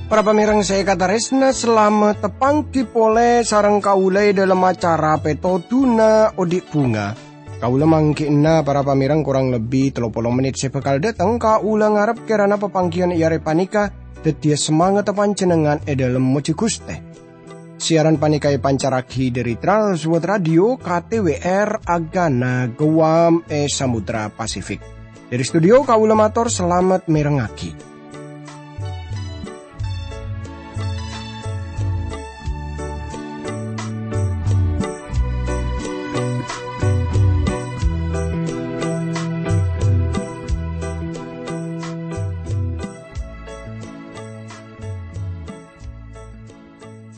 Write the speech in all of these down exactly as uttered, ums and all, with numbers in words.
Para pamèrèng sè èkatarèsna, salamet tapangghi polè sareng kaulâ è dhâlem acara Pètodhuna Odi' Bhunga. Kaulâ mangghi'na para pamèrèng korang lebbi tello polo mennit sè bhâkal dâteng. Kaulâ ngarep kèrana papangghiyân è arè panèka dhâddhiyâ samangatta panjhennengngan è dhâlem mojhi Ghustè. Siaran panèka èpancarraghi dhâri Trans World Radio K T W R Agana Guam è Samudra Pasifik. Dhâri studio kaulâ mator salamet mèrengngaghi.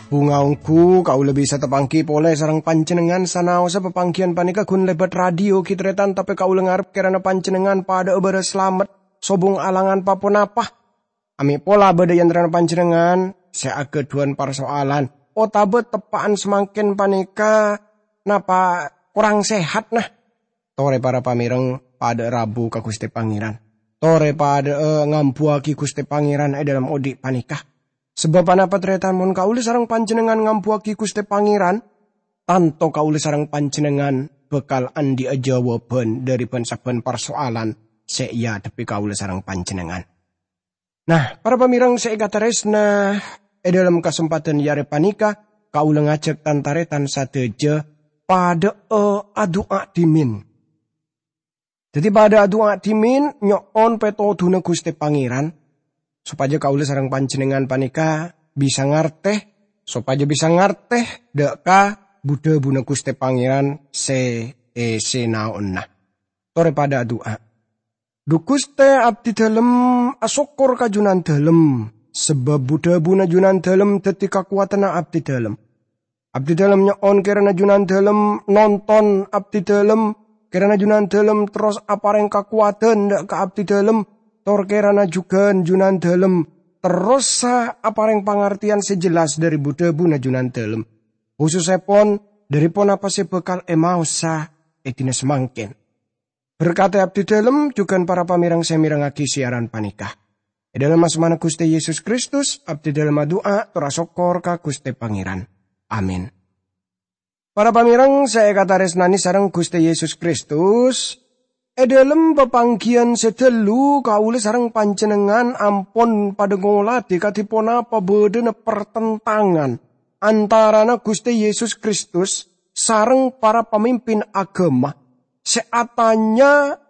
Bhunga ongghu, kaulâ bisa tapangghi polè sareng panjhennengngan sanaossa papangghiyân panèka ghun lèbât radio ghi' tarètan, tapè kaulâ ngarep kèrana panjhennengngan padhâ'â bârâs salamet, sobung alangan pa-ponapa. Amè' pola bâdâ è antarana panjhennengngan sè aghâdhuwân parsoalan, otabâ teppa'an samangkèn panèka napa korang sehat, nah? Torè para pamèrèng padhâ rabu ka Ghustè Pangèran. Torè padhâ'â ngambuwâghi Ghustè Pangèran è dhâlem odi' panèka. Sabâb anapa tarètan mon kaulâ sareng panjhennengngan ngambuwâghi Ghustè Pangèran, tanto kaulâ sareng panjhennengngan bhâkal andi'â jâwâbhân dhâri bân-sabbhân parsoalan sè èadhebbhi kaulâ sareng panjhennengngan. Nah, para pamèrèng sè èkatarèsna, è dhâlem kasempadhân è arè panèka, kaulâ ngajhâk tan-tarètan sadhâjâ padhâ'â adu'a dhimèn. Dhâddhi padhâ adu'a dhimèn nyo'on pètodhuna Ghustè Pangèran, sopajâ kaulâ sareng panjhennengngan panèka bisa ngartè, sopajâ bisa ngartè dâ' ka bu-dhâbuna Ghustè Pangèran sè èsènaonna. Torè padhâ adu'a. Dhu Ghustè, abdhidhâlem asokkor ka Junandhâlem, sabâb bu-dhâbuna Junandhâlem dhâddhi kakowadhânna abdhidhâlem. Abdhidhâlem nyo'on kèrana Junandhâlem nonton abdhidhâlem, kèrana Junandhâlem terros aparèng kakowadhân dâ' ka abdhidhâlem, tor kèrana jhughân Junandhâlem terrosa aparèng pangartèyan sè jelas dhâri bu-dhâbuna Junandhâlem, khusussèpon dhâri ponapa sè bhâkal èmaosa è dinah samangkèn. Berkadhi abdhidhâlem jhughân para pamèrèng sè mèrengngaghi siaran panèka. È dhâlem asmana Ghustè Yesus Kristus, abdhidhâlem adu'a tor asokkor ka Ghustè Pangèran. Amin. Para pamèrèng sè èkatarèsnanè sareng Ghustè Yesus Kristus, è dhâlem papangghiyân sè dhâllu kaulâ sareng panjhennengngan ampon padhâ ngolatè kadhi ponapa bâdâna partentangan antarana Ghustè Yesus Kristus sareng para pamimpin aghâma sè atanya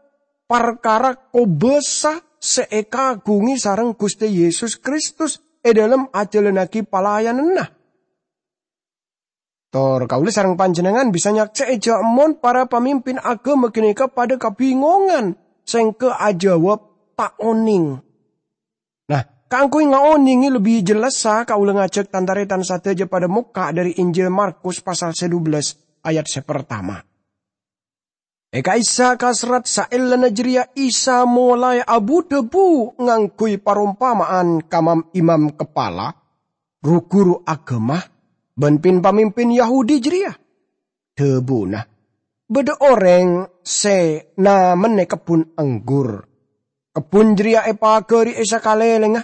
parkara kobâsa sè èkaghungè sareng Ghustè Yesus Kristus è dhâlem ajhâlannaghi palayananna. Tor kaulâ sareng panjhennengngan bisa nyaksè'è jhâ' mon para pamimpin aghâma ghânèka padhâ kabingongan sèngghâ ajâwâb, "Ta' onèng." Nah, kaangghuy ngaonèngè lebbi jellassa, kaulâ ngajhâk tan-tarètan sadhâjâ padhâ mokka' dhâri Injil Markus pasal sè dubellâs ayat sè partama. È ka'issa' kaserrat saellana jârèya Isa molaè abu-dhâbu ngangghuy parompama'an ka mam-imam kapala, ru-ghuru aghâma, bân pin-pamimpin Yahudi jârèya. Dhâbuna, "Bâdâ orèng sè namennè kebbhun anggur. Kebbhun jârèya èpaghâri è sakalèlèngnga.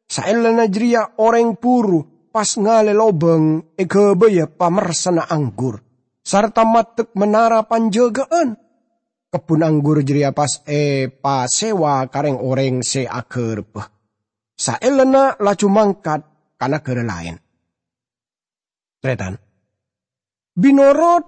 Saellana jârèya orèng buru pas ngalè lobâng èghâbâyâ pamersana anggur, sarta maddhek menara panjâgâ'ân. Kebbhun anggur jârèya pas èpasèwa ka rèng-orèng sè aghârbhâ, saellana laju mangkat ka naghârâ laèn." Tarètan. Binorot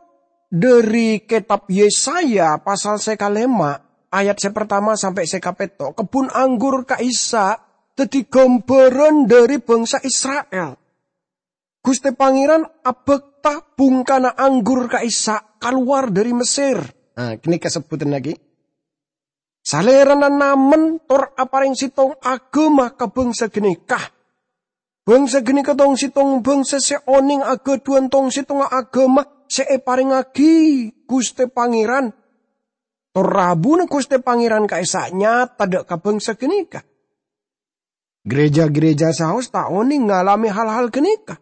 dhâri Kètab Yesaya pasal sè kalèma', ayat sè partama sampè' sè kapètto', kebbhun anggur ka'issa' dhâddhi ghâmbhârân dhâri bhângsa Isra'il. Ghustè Pangèran abhâkta bhungkana anggur ka'issa' kalowar dhâri Messer. Nah, ghânèka sebbhudhânna ghi. Salèrana namen tor aparèng sèttong aghâma ka bhângsa ghânèka. Bhângsa ghânèka tong-sèttong bhângsa sè onèng aghâdhuwân tong-sèttongnga aghâma sè èparèngngaghi Ghustè Pangèran. Tor rabuna Ghustè Pangèran ka'issa' nyata dâ' ka bhângsa ghânèka. Gereja-gereja saos ta' onèng ngalamè hal-hal ghânèka.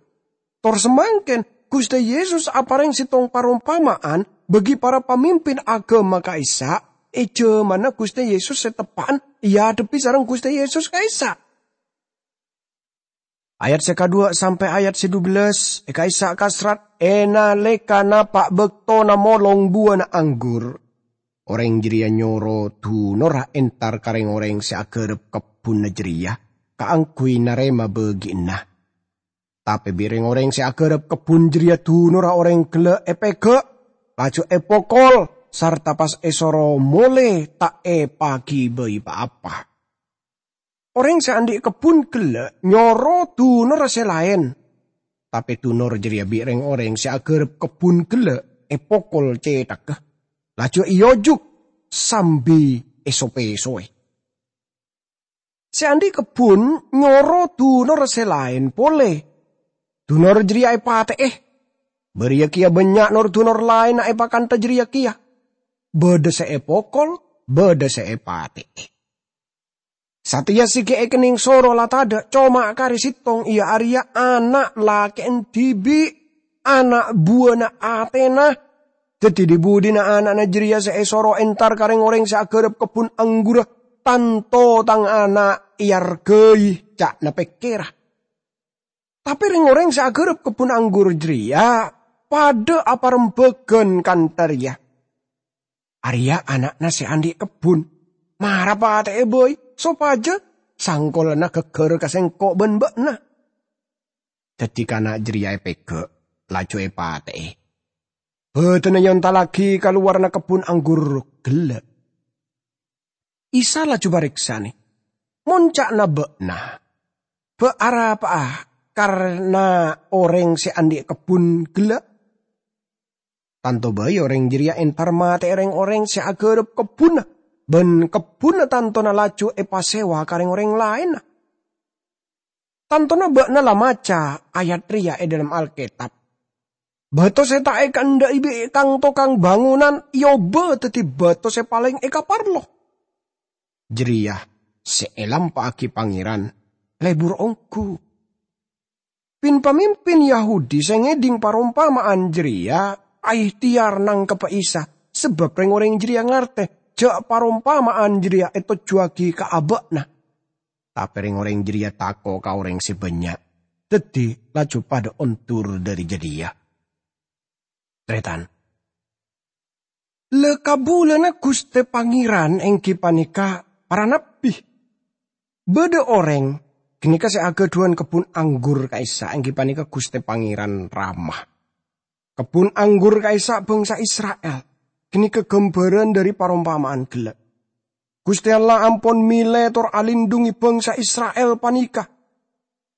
Tor samangkèn, Ghustè Yesus aparèng sèttong parompama'an bagi para pamimpin aghâma ka'issa' è jhâmanna Ghustè Yesus sè teppa'na èadhebbhi sareng Ghustè Yesus ka'issa'. Ayat sè kaduwâ' sampè' ayat sè dubellâs, è ka'issa' kaserrat, è nalèkana pa' bâktona molong buwâna anggur, orèng jârèya nyoro dunorra entar ka rèng-orèng sè aghârâp kebbhunna jârèya kaangghuy narèma bâgi'ânna. Tapè bi' rèng-orèng sè aghârâp kebbhun jârèya dunorra orèng ghellâ' èpèghâ', laju èpokol, sarta pas èsoro molè ta' èpaghibâi pa-apa. Orèng sè andi' kebbhun ghellâ' nyoro dunorra sè laèn, tapè dunor jârèya bi' rèng-orèng sè aghârâp kebbhun ghellâ' èpokol cèthagghâ, laju èojuk sambi èso-pèsoè. Sè andi' kebbhun nyoro dunorra sè laèn polè. Dunor jârèya èpatè'è. Bâriyâ kèya bânnya' nor-dunor laènna è pakantha jârèya kèya. Bâdâ sè èpokol, bâdâ sè èpatè'è. Satèya sè ghi' èkennèng soro la tadâ', coma karè sèttong, iyâ arèya ana' lakè'en dhibi', ana' buwâna atèna. Dhâddhi, dhi-budhina ana'na jârèya sè èsoro entar ka rèng-orèng sè aghârâp kebbhun anggurra, "Tanto tang ana' èarghâi," ca'na pèkkèrra. Tapè rèng-orèng sè aghârâp kebbhun anggur jârèya padâ aparembhâghân kantha rèya, "Arèya ana'na sè andi' kebbhun. Mara patè'è bhâi, sopajâ sangkolanna ghâgghâr ka sèngko' bân bâ'na." Dhâddhi kana' jârèya èpèghâ', laju èpatè'è. Bâdâna èontallaghi ka lowarra kebbhun anggur ghellâ'. Isa laju marèksanè, "Mon ca'na bâ'na, bâ' arapa'a karna orèng sè andi' kebbhun ghellâ'? Tanto bhâi orèng jârèya entar matè'è rèng-orèng sè aghârâp kebbhunna, bân kebbhunna tantona laju èpasèwa ka rèng-orèng laènna." Tantona bâ'na la maca ayat rèya è dhâlem Alkètab, "Bâto sè ta' èkaendhâ'i bi' kang-tokang bângonan èobâ dhâddhi bâto sè palèng èkaparlo. Jârèya sè èlampa'aghi Pangèran lebur ongghu." Pin-pamimpin Yahudi sè ngèdhing parompama'an jârèya aèhtèyar nangkebbhâ Isa, sabâb rèng-orèng jârèya ngartè jâ' parompama'an jârèya ètojjhuwâghi ka abâ'na. Tapè rèng-orèng jârèya tako' ka orèng sè bânnya', dhâddhi laju padâ ondur dhâri jâdiyâ. Tarètan, la kabulâna Ghustè Pangèran èngghi panèka para nabbhi. Bâdâ orèng ghânèka sè aghâdhuwân kebbhun anggur ka'issa' èngghi panèka Ghustè Pangèran Rama. Kebbhun anggur ka'issa' bhângsa Isra'il ghânèka ghâmbhârân dhâri parompama'an ghellâ'. Ghustè Allah ampon mèlè tor alindhungi bhângsa Isra'il panèka.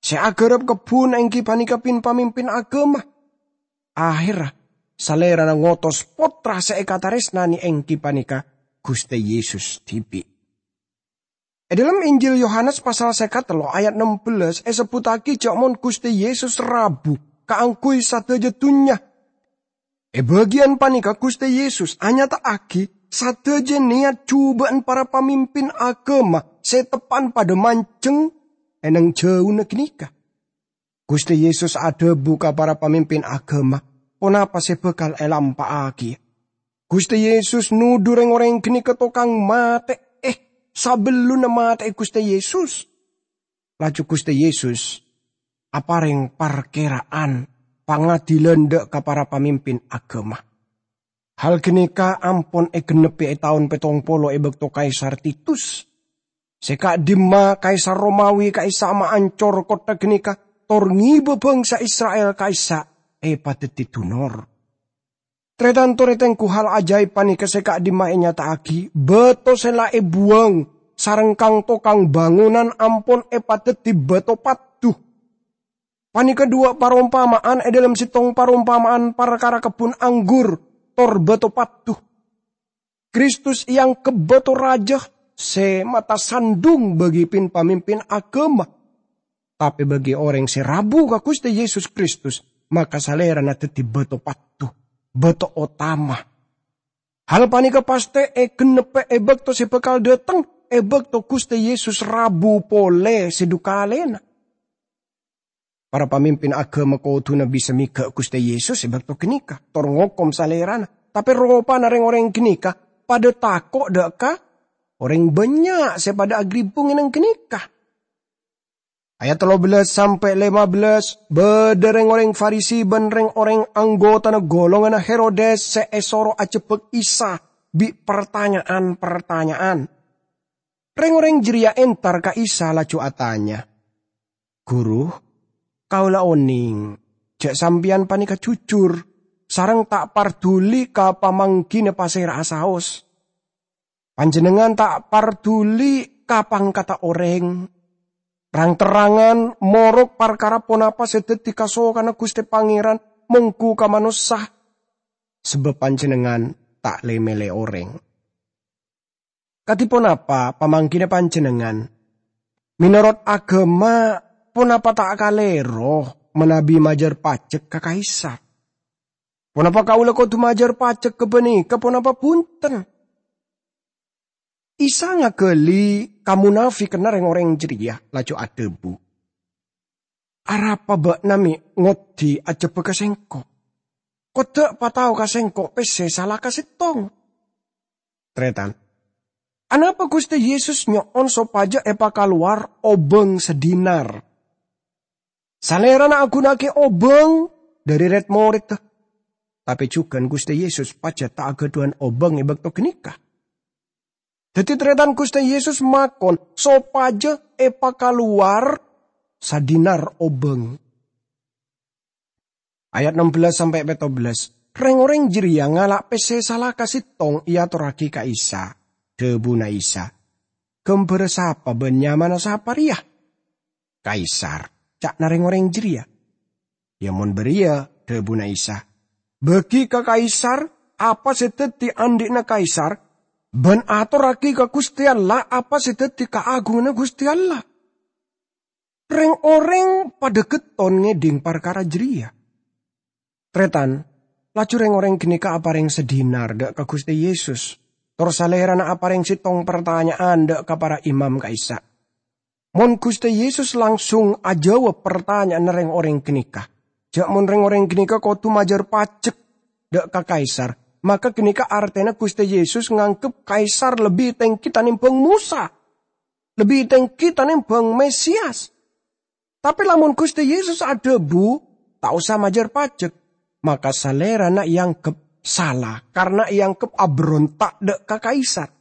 Sè aghârâp kebbhun èngghi panèka pin-pamimpin aghâma. Ahèrra, Salèrana ngotos Pottra sè èkatarèsnanè èngghi panèka Ghustè Yesus dhibi'. È dhâlem Injil Yohanes pasal sèket tello' ayat nem bellâs èsebbhuttaghi jâ' mon Ghustè Yesus rabu kaangghuy sadhâjâ dhunnya. È bâgiyân panèka Ghustè Yesus anyata'aghi sadhâjâ nèyat jhubâ'ân para pamimpin aghâma sè teppa'na padâ manjheng è nang jhâuna ghânèka. Ghustè Yesus adhâbu ka para pamimpin aghâma ponapa sè bhâkal èlampa'aghi. Ghustè Yesus nodhu rèng-orèng ghânèka tokang matè'è sabellunna matè'è Ghustè Yesus. Laju Ghustè Yesus aparèng parkèra'an pangadilan dâ' ka para pamimpin aghâma. Hal ghânèka ampon ègennebbhi è taon pèttong polo è bâkto Kaisar Titus. Sè ka'dimma Kaisar Romawi ka'issa' maancor kottha ghânèka, tor ngèbâ bhângsa Isra'il ka'issa' èpadhâddhi dunor. Tarètan-tarètan, gu hal ajaib panèka sè ka'dimma ènyata'aghi, bâto sè la èbuwâng sareng kang-tokang bângonan ampon èpadhâddhi bâto paddhu. Panèka duwâ' parompama'an è dhâlem sèttong parompama'an parkara kebbhun anggur tor bâto paddhu. Kristus èangghep bâto rajâ sè matasandhung bagi pin-pamimpin aghâma. Tapè bagi orèng sè rabu ka Ghustè Yesus Kristus, maka Salèrana dhâddhi bâto paddhu, bâto otama. Hal panèka pastè ègennebbhâ è bâkto sè bhâkal dhâteng, è bâkto Ghustè Yesus rabu polè sè dhu kalèna. Para pamimpin aghâma kodhuna bisa mèghâ' Ghustè Yesus è bâkto ghânèka, tor ngokom Salèrana. Tapè ropana rèng-orèng ghânèka padâ tako' dâ' ka orèng bânnya' sè padâ aghribung è neng ghânèka. Ayat tello bellas sampè' lèma bellas, bâdâ rèng-orèng Farisi bân rèng-orèng anggotana golonganna Herodes sè èsoro ajhebbhâk Isa bi' partanya'an-partanya'an. Rèng-orèng jârèya entar ka Isa laju atanya, "Ghuru, kaulâ onèng jâ' Sampèyan panèka jujur sareng ta' parduli ka pamangghina pasèra'a saos. Panjhennengngan ta' parduli ka pangkatta orèng. Rang-terrangan morok parkara ponapa sè dhâddhi kasokanna Ghustè Pangèran mongghu ka manossa, sabâb Panjhennengngan ta' lè-mèlè orèng. Kadhi ponapa pamangghina Panjhennengngan? Mènorot aghâma, ponapa ta' kalèro manabi majâr pajhek ka Kaisar? Ponapa kaulâ kodhu majâr pajhek ghâpanèka ponapa bhunten?" Isa ngaghâli kamonafikanna rèng-orèng jârèya, laju adhâbu, "Arapa bâ'na mè' ngoddi ajhebbhâ ka Sèngko'? Kodâ' patao ka Sèngko' pèssè sala ka sèttong." Tarètan, anapa Ghustè Yesus nyo'on sopajâ èpakalowar obâng sadinar? Salèrana aghunaaghi obâng dhâri rèd-morèdda, tapè jhughân Ghustè Yesus pajhât ta' aghâdhuwân obâng è bâkto ghânèka. Dhâddhi, tarètan Ghustè Yesus makon sopajâ èpakalowar sadinar obâng. Ayat ennem bellas sampè' pètto bellas, rèng-orèng jârèya ngala' pèssè sala ka sèttong èyatorraghi ka Isa. Dhâbuna Isa, "Ghâmbhârrâ sapa bân nyamana sapa rèya?" "Kaisar," ca'na rèng-orèng jârèya. "Yâ mon bâriyâ," dhâbuna Isa, "bâgi ka Kaisar apa sè dhâddhi andhi'na Kaisar, bân atorraghi ka Ghustè Allah apa sè dhâddhi kaagunganna Ghustè Allah." Rèng-orèng padâ ghetton ngèdhing parkara jârèya. Tarètan, laju rèng-orèng ghânèka aparèng sadinar dâ' ka Ghustè Yesus, tor Salèrana aparèng sèttong partanya'an dâ' ka para imam ka'issa'. Mon Ghustè Yesus langsung ajâwâb partanya'anna rèng-orèng ghânèka, jâ' mon rèng-orèng ghânèka kodhu majâr pajhek dâ' ka Kaisar, maka ghânèka artèna Ghustè Yesus nganggep Kaisar lebbi tèngghi tanèmbhâng Mosa, lebbi tèngghi tanèmbhâng Mesias. Tapè lamon Ghustè Yesus adhâbu, "Ta' osa majâr pajhek," maka Salèrana èanggep sala karana èanggep abhâronta' dâ' ka Kaisar.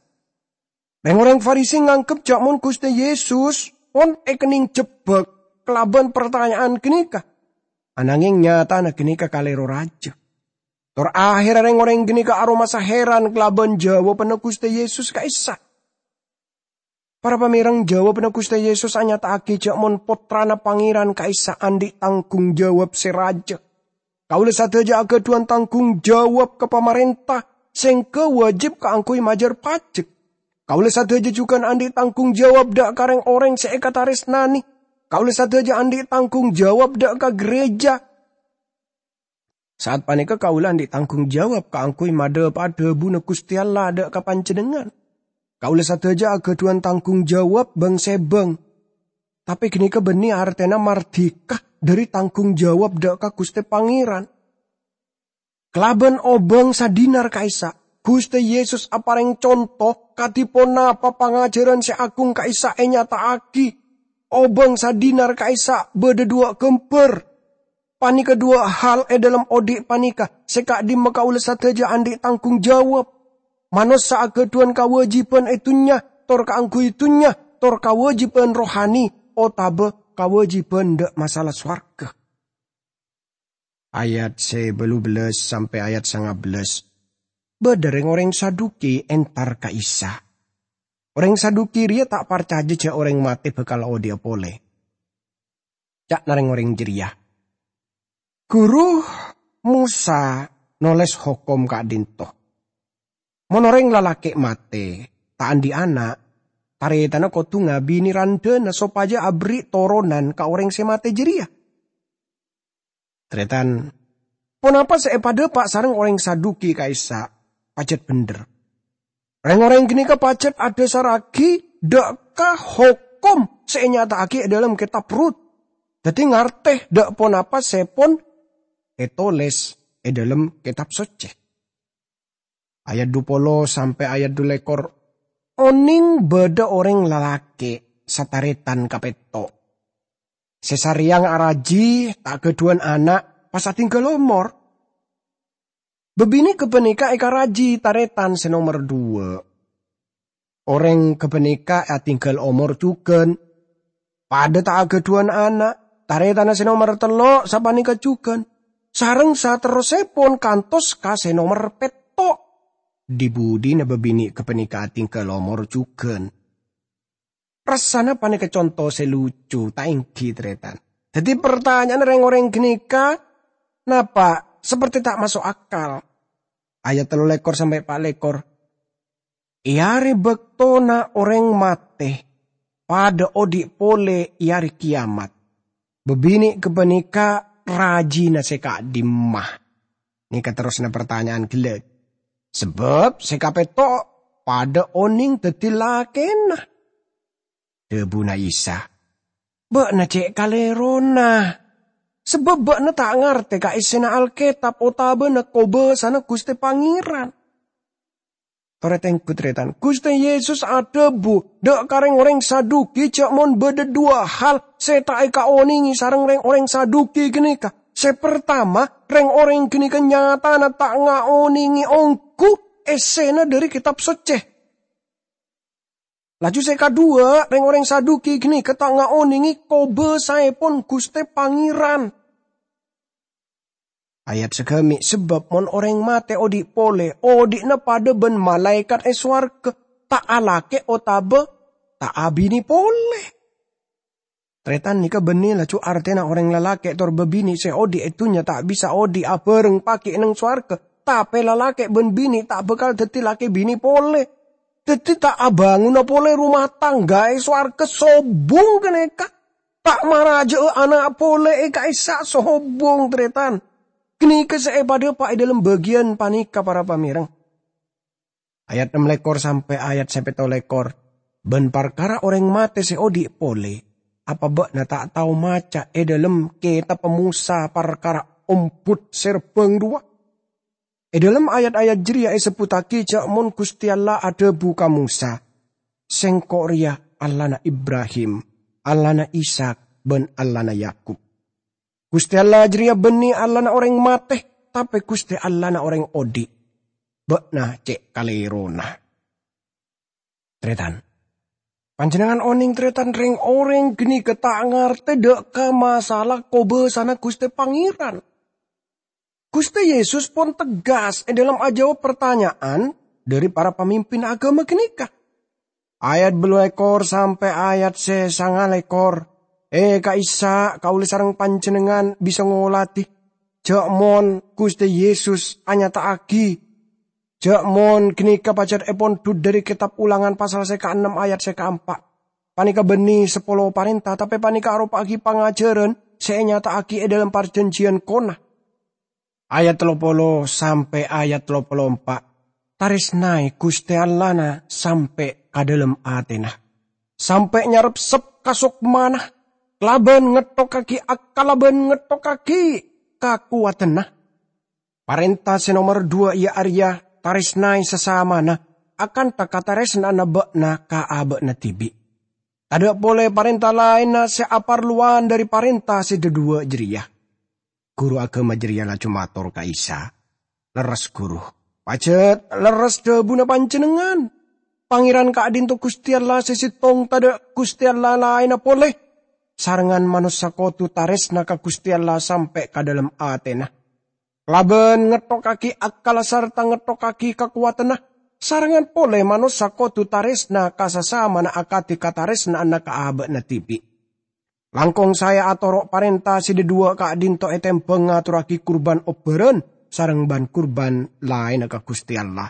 Rèng-orèng Farisi nganggep jâ' mon Ghustè Yesus pon èkennèng jhebbhâk kalabân partanya'an ghânèka. Ananghèng nyatana ghânèka kalèro rajâ. Tor aherra rèng-orèng ghânèka aromasa hèran kalabân jâwâbânna Ghustè Yesus ka'issa'. Para pamèreng, jâwâbânna Ghustè Yesus anyata'aghi jâ' mon Pottrana Pangèran ka'issa' andhi' tangghung jâwâb sè rajâ. "Kaulâ sadhâjâ aghâdhuwân tangghung jâwâb ka pamarènta, sèngghâ wâjib kaangghuy majâr pajhek. Kaulâ sadhâjâ jhughân andhi' tangghung jâwâb dâ' ka rèng-orèng sè èkatarèsnanè. Kaulâ sadhâjâ andhi' tangghung jâwâb dâ' ka ghârèjâ. Sa'at panèka kaulâ andhi' tangghung jâwâb kaangghuy madhâpa'a dhâbuna Ghustè Allah dâ' ka panjhennengngan. Kaulâ sadhâjâ aghâdhuwân tangghung jâwâb bâng-sèbâng. Tapè ghânèka bânnè artèna mardhika dhâri tangghung jâwâb dâ' ka Ghustè Pangèran." Kalabân obâng sadinar ka'issa', Ghustè Yesus aparèng conto kadhi ponapa pangajhârân sè aghung ka'issa' ènyata'aghi. Obâng sadinar ka'issa' bâdâ duwâ' ghâmbhâr. Panèka duwâ' hal è dhâlem odi' panèka sè ka'dimma kaulâ sadhâjâ andhi' tangghung jâwâb. Manossa aghâdhuwân kawâjibhân è dhunnya tor kaangghuy dhunnya, tor kawâjibhân rohani otabâ kawâjibhân dâ' masalah sowarghâ. Ayat sè bâllu bellas sampè' ayat sanga bellas. Bâdâ rèng-orèng Saduki entar ka Isa. Orèng Saduki rèya ta' parcajâ jâ' orèng matè bhâkal odhi'a polè. Ca'na rèng-orèng jârèya, "Ghuru, Mosa nolès hokom ka'dinto. Mon orèng lalakè' matè, ta' andhi' ana', tarètanna kodhu ngabinè randhâna sopajâ aberri' toronan ka orèng sè matè jârèya." Tarètan, ponapa sè èpadhâpa' sareng orèng Saduki ka'issa' pajhât bhendher. Rèng-orèng ghânèka pajhât adhâsarraghi dâ' ka hokom sè ènyata'aghi è dhâlem Kètab Rut. Daddi ngartè dâ' ponapa sè pon ètolès è dhâlem Kètab Soccè. Ayat dupolo sampè' ayat dulekor, onèng bâdâ orèng lalakè' satarètan kapètto'. Sè sarèyang araji ta' ghâdhuwân ana' pas adhingghâl omor. Bâbinè' ghâpanèka èkaraji tarètan sè nomer duwâ'. Orèng ghâpanèka adhingghâl omor jhughân, padâ ta' aghâdhuwân ana', tarètanna sè nomer tello' sapanèka jhughân, sareng saterrossèpon kantos ka sè nomer pètto'. Dhi-budhina bâbinè' ghâpanèka adhingghâl omor jhughân. Rassana panèka conto sè lucu, ta' ènggi, tarètan? Daddi, partanya'anna rèng-orèng ghânèka, napa, saperti ta' maso' akal. Ayat tello lèkor sampè' pa' lèkor. È arè bâktona orèng matè padâ odi' polè è arè kèyamat, bâbinè' ghâpanèka rajina sè ka'dimma? Nèka terrosanna partanya'an ghellâ'. Sabâb sè kapètto' padâ onèng daddi lakèna. Dhâbuna Isa, "Bâ'na cè' kalèrona, sabâb bâ'na ta' ngartè ka èssèna Alkètab otabâna kobâsana Ghustè Pangèran." Torè tèngghu, tarètan. Ghustè Yesus adhâbu dâ' ka rèng-orèng Saduki jhâ' mon bâdâ duwâ' hal sè ta' èkaonèngè sareng rèng-orèng Saduki ghânèka. Sè partama, rèng-orèng ghânèka nyatana ta' ngaonèngè ongghu èssèna dhâri Kètab Soccè. Laju sè kaduwâ, rèng-orèng Saduki ghânèka ta' ngaonèngè kobâsaèpon Ghustè Pangèran. Ayat sagâmè', sabâb mon orèng matè odi' polè, odi'na padâ bân malaèkat è sowarghâ, ta' alakè' otabâ ta' abinè polè. Tarètan, nèka bânnè laju artèna orèng lalakè' tor bâbinè' sè odi' è dhunnya ta' bisa odi' abhâreng paghi' neng sowarghâ, tapè lalakè' bân binè' ta' bhâkal daddi lakè binè polè. Daddi ta' abângona polè roma tangga è sowarghâ sobung ghânèka. Ta' marajâ'â ana' polè è ka'issa' sobung, tarètan. Ghânèka sè èpadhâpa' è dhâlem bâgiyân panèka, para pamèreng. Ayat ennem lèkor sampè' ayat sè pètto lèkor. "Bân parkara orèng matè sè odi' polè, apa bâ'na ta' tao maca è dhâlem Kètabbhâ Mosa parkara ombhut sè rebbhâng rowa?" È dhâlem ayat-ayat jârèya èsebbhuttaghi jhâ' mon Ghustè Allah adhâbu ka Mosa, "Sèngko' rèya Allahna Ibrahim, Allahna Ishak, bân Allahna Yakub." Ghustè Allah jârèya bânnè Allahna orèng matè, tapè Ghustè Allahna orèng odi'. Bâ'na cè' kalèrona. Tarètan. Panjhennengngan onèng, tarètan, rèng-orèng ghânèka ta' ngartè dâ' ka masalah kobâsana Ghustè Pangèran. Ghustè Yesus pon tegas è dhâlem ajâwâb partanya'an dhâri para pamimpin aghâma ghânèka. Ayat bâllu lèkor sampè' ayat sè sanga lèkor. È ka'issa' kaulâ sareng panjhennengngan bisa ngoladhi, jhâ' mon Ghustè Yesus anyata'aghi, jhâ' mon ghânèka pajhât èpondhut dhâri Kètab Ulangan pasal sè kaennem ayat sè kaempa'. Panèka bânnè sapolo parènta, tapè panèka aropa'aghi pangajhârân sè ènyata'aghi è dhâlem parjhânjhiyân kona. Ayat tello polo sampè' ayat tello polo empa', "Tarèsnaè Ghustè Allahna sampè' ka dhâlem atèna, sampè' nyarepsep ka sokmana, kalabân ngettokkaghi akalla bân ngettokkaghi kakowadhânna." Parènta sè nomer duwâ' iyâ arèya, "Tarèsnaè sasamana akanta katarèsna'anna bâ'na ka abâ'na dhibi'." Tadâ' polè parènta laènna sè aparlowan dhâri parènta sè dhâduwâ' jârèya. Ghuru aghâma jârèya laju mator ka Isa, "Lerres, Ghuru. Pajhât lerres dhâbuna Panjhennengngan. Pangèran ka'dinto Ghustè Allah sè sèttong, tadâ' Ghustè Allah laènna polè. Sarengngan manossa kodhu tarèsna ka Ghustè Allah sampè' ka dhâlem atèna. Kalabân ngettokkaghi akkalla sarta ngettokkaghi kakowadhânna, sarengngan polè manossa kodhu tarèsna ka sasamana akadhi katarèsna'anna ka abâ'na dhibi'. Langkong saè atoro' parènta sè dhâduwâ' ka'dinto ètèmbhâng ngatorraghi kurbân obbhârân sareng bân-kurbân laènna ka Ghustè Allah."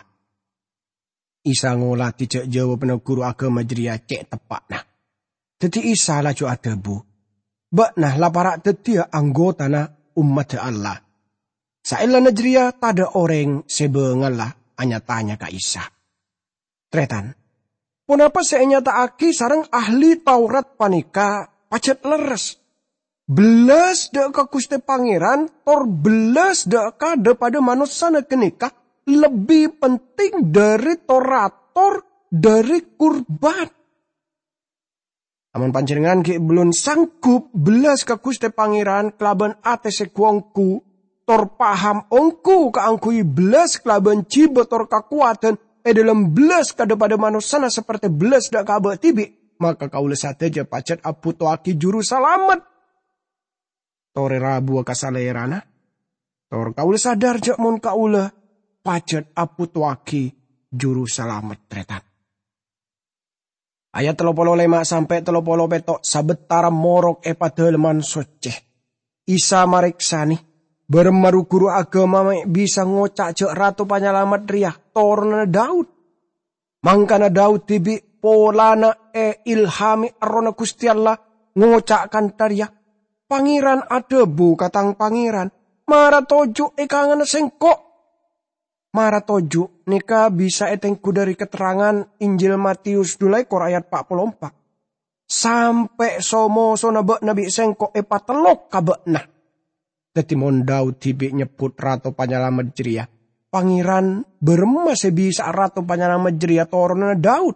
Isa ngoladhi jhâ' jâwâbbhâ ghuru aghâma jârèya cè' teppa'na. Dhâddhi Isa laju adhâbu, "Bâ'na la para' dhâddhiyâ anggotana ommaddhâ Allah." Saellana jârèya tadâ' orèng sè bângalla nya-tanya ka Isa, "Tarètan, ponapa sè ènyata'aghi sareng ahli Taurat panèka pajhât lerres?" Bellas dâ' ka Ghustè Pangèran, tor bellas dâ' ka dhâ-padâ manossana ghânèka lebbi penting dhâri tor-ator dhâri kurban. Amon panjhennengngan ghi' bellun sanggup bellas ka Ghustè Pangèran kalabân atè sè ghu-ongghu, tor paham ongghu kaangghuy bellas kalabân jibâ tor kakowadhân è dhâlem bellas ka dhâ-padâ manossana sapertè bellas dâ' ka abâ' dhibi', maka kaulâ sadhâjâ pajhât abhutowaghi Jurusalamet. Torè rabuwâ ka Salèrana, tor kaulâ sadhâr jâ' mon kaulâ pajhât abhutowaghi Jurusalamet, tarètan. Ayat tello polo lèma' sampè' tello polo pètto', sabâtara morok è Padâlemman Soccè. Isa marèksanè, "Bârâmma ru-ghuru aghâma mè' bisa ngoca' jâ' Rato Panyalamet rèya toronanna Daud? Mangkana Daud dhibi' polana èilhamè Errohna Ghustè Allah ngoca' kantha rèya, 'Pangèran adhâbu ka Tang Pangèran, mara toju' è kanganna Sèngko'.' Mara toju' nèka bisa ètengghu dhâri katerrangan Injil Matius dhu lèkor ayat pa' polo empa', 'Sampè' so-mosona bâ'na bi' Sèngko' èpatellok ka bâ'na.' Dhâddhi, mon Daud dhibi' nyebbhut Rato Panyalamet jârèya, Pangèran bârâmma sè bisa'a Rato Panyalamet jârèya toronanna Daud?"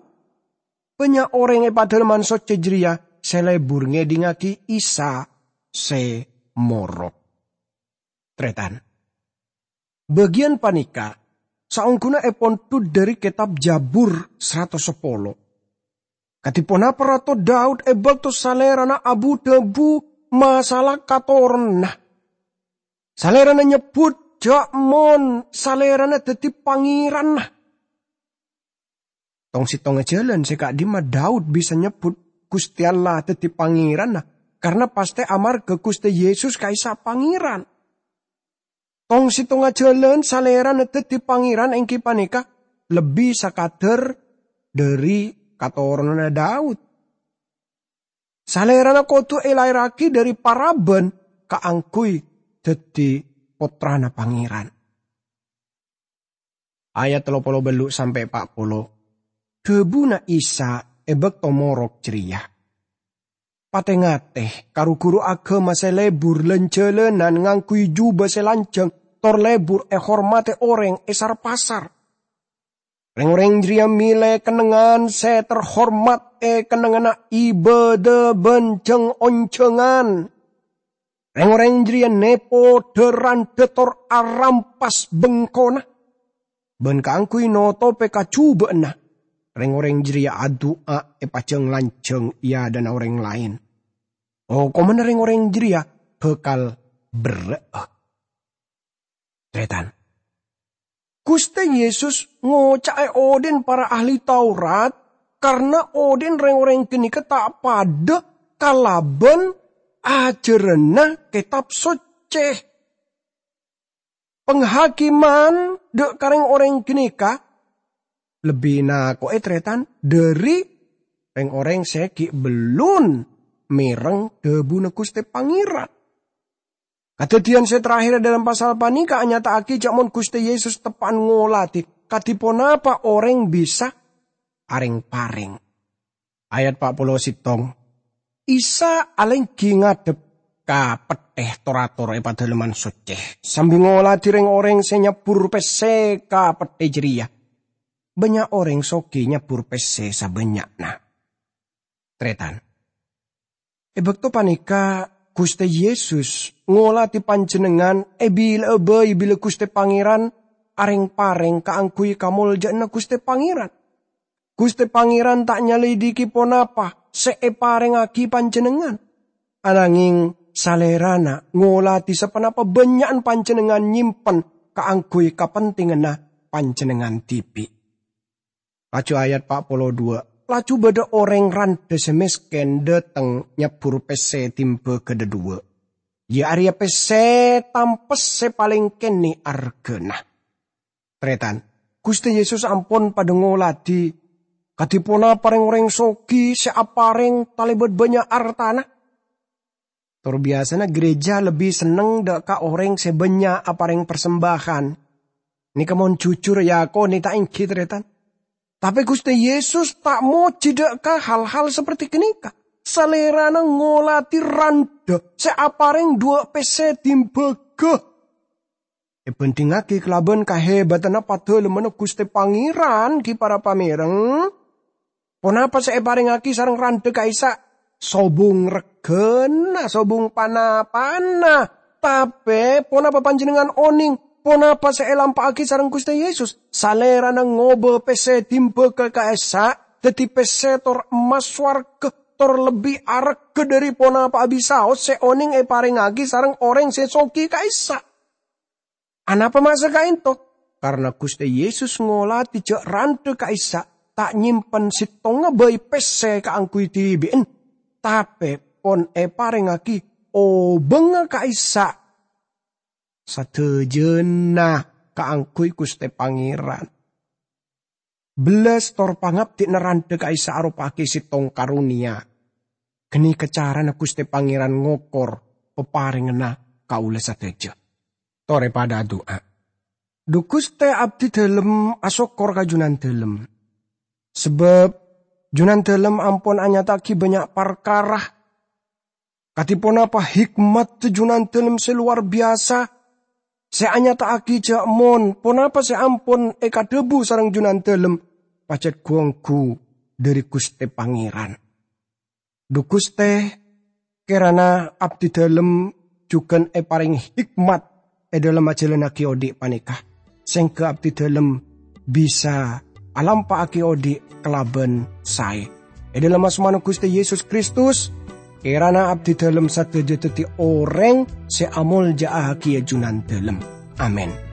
Bânnya' orèng è Padâlemman Soccè jârèya sè lebur ngèdingngaghi Isa sè morok. Tarètan. Bâgiyân panèka saongghuna èpondhut dhâri Kètab Jabur saratos sapolo. Kadhi ponapa Rato Daud è bâkto salèrana abu-dhâbu masalah katoronanna? Salèrana nyebbhut jâ' mon salèrana dhâddhi Pangèranna. Tong-settongnga jhâlân sè ka'dimma Daud bisa nyebbhut Ghustè Allah dhâddhi Pangèranna, karna pastè amarghâ Ghustè Yesus ka'issa' Pangèran. Tong-settongnga jhâlân salèrana dhâddhi Pangèran èngghi panèka lebbi sakadhâr dhâri katoronanna Daud. Salèrana kodhu èlaèrraghi dhâri paraban kaangghuy dhâddhi pottrana Pangèran. Ayat tello polo bâllu' sampè' pa' polo. Dhâbuna Isa è bâkto morok jârèya, "Patè-ngatè ka ru-ghuru aghâma sè lebur lan-jhâlânan ngangghuy jhubâ sè lanjhâng tor lebur èhormadhi orèng è sar-pasar. Rèng-orèng jârèya mèlè kennengngan sè terhormat è kennengnganna ibâdâ bân jhâng-onjhângan. Rèng-orèng jârèya nèpo dâ-randhâ tor arampas bengkona. Bân kaangghuy notobhi kajhubâ'ânna, rèng-orèng jârèya adu'a èpajâng-lanjhâng è adâ'na orèng laèn. Okomanna rèng-orèng jârèya bhâkal berrâ'â.'" Tarètan. Ghustè Yesus ngoca'è odhi'na para ahli Taurat karna odhi'na rèng-orèng ghânèka ta' padâ kalabân ajhârânna Kètab Soccè. Panghakiman dâ' ka rèng-orèng ghânèka lebbi nako'è, tarètan, dhâri rèng-orèng sè ghi' bellun mèreng dhâbuna Ghustè Pangèran. Kadhâddhiyân sè terakhir è dhâlem pasal panèka anyata'aghi jâ' mon Ghustè Yesus teppa'an ngoladhi kadhi ponapa orèng bisa areng-pareng. Ayat pa' polo sèttong. Isa alèngghi ngadhep ka pettè tor-ator è Padâlemman Soccè, sambi ngoladhi rèng-orèng sè nyabbhur pèssè ka pettè jârèya. Bânnya' orèng soghi nyabbhur pèssè sabânnya'na. Tarètan. È bâkto panèka, Ghustè Yesus ngoladhi panjhennengngan è bilâ'â bhâi bilâ Ghustè Pangèran areng-pareng kaangghuy kamoljâ'ânna Ghustè Pangèran. Ghustè Pangèran ta' nyalèdhighi ponapa sè èparèngaghi panjhennengngan, ananghing Salèrana ngoladhi saponapa bânnya'na panjhennengngan nyèmpen kaangghuy kapentènganna panjhennengngan dhibi'. Laju ayat pa' polo duwâ', laju bâdâ orèng randhâ sè mèskèn dhâteng nyabbhur pèssè dhimbâ ghâdhâ duwâ', iyâ arèya pèssè tampes sè palèng kènè' arghâna. Tarètan, Ghustè Yesus ampon padâ ngoladhi kadhi ponapa rèng-orèng soghi sè aparèng talèbât bânnya' artana. Tor biyasana ghârèjâ lebbi senneng dâ' ka orèng sè bânnya' aparèng parsembâhân. Nèka mon jujur èakonè ta' ènggi, tarètan. Tapè Ghustè Yesus ta' mojhi dâ' ka hal-hal saperti ghânèka. Salèrana ngoladhi randhâ randhâ, sè aparèng duwâ' pèssè dimbaga. Èbhândhingngaghi kalabân kahebatanna padâlemmanna Ghustè Pangèran, ghi para pamèreng, ponapa sè èparèngaghi sareng randhâ ka'issa'? Sobung règhâna, sobung pa-napana. Tapè ponapa panjhennengngan onèng ponapa sè èlampa'aghi sareng Ghustè Yesus? Salèrana ngobâ pèssè dimbaga ka'issa' dhâddhi pèssè tor emmas sowarghâ, tor lebbi arghâ dhâri ponapa'a bisaos sè onèng èparèngaghi sareng orèng sè soghi ka'issa'. Anapa ma' sè ka'ènto? Karna Ghustè Yesus ngolatè jhâ' randhâ ka'issa' ta' nyèmpen sèttongnga bhâi pèssè kaangghuy dhibi'en, tapè pon èparèngaghi obângnga ka'issa' sadhâjâna kaangghuy Ghustè Pangèran. Bellas tor pangabdi'na randhâ ka'issa' aropa'aghi sèttong karonèya. Ghânèka carana Ghustè Pangèran ngokor paparènganna kaulâ sadhâjâ. Torè padâ adu'a. Dhu Ghustè, abdhi dhâlem asokkor ka Junandâlem. Sabâb Junandâlem ampon anyata'aghi bânnya' parkara. Kadhi ponapa hikmat Junandâlem sè lowar biyasa sè anyata'aghi jhâ' mon ponapa sè ampon èkadhâbu sareng Junandâlem pajhât ghu-ongghu dhâri Ghustè Pangèran. Dhu Ghustè, kèrana abdhi dhâlem jhughân èparèng hikmat è dhâlem ajhâlânnaghi odi' panèka, sèngghâ abdhi dhâlem bisa alampa'aghi odi' kalabân saè. È dhâlem asmana Ghustè Yesus Kristus, kèrana abdhi dhâlem sadhâjâ dhâddhi orèng sè amolja'aghi Junandâlem. Amin.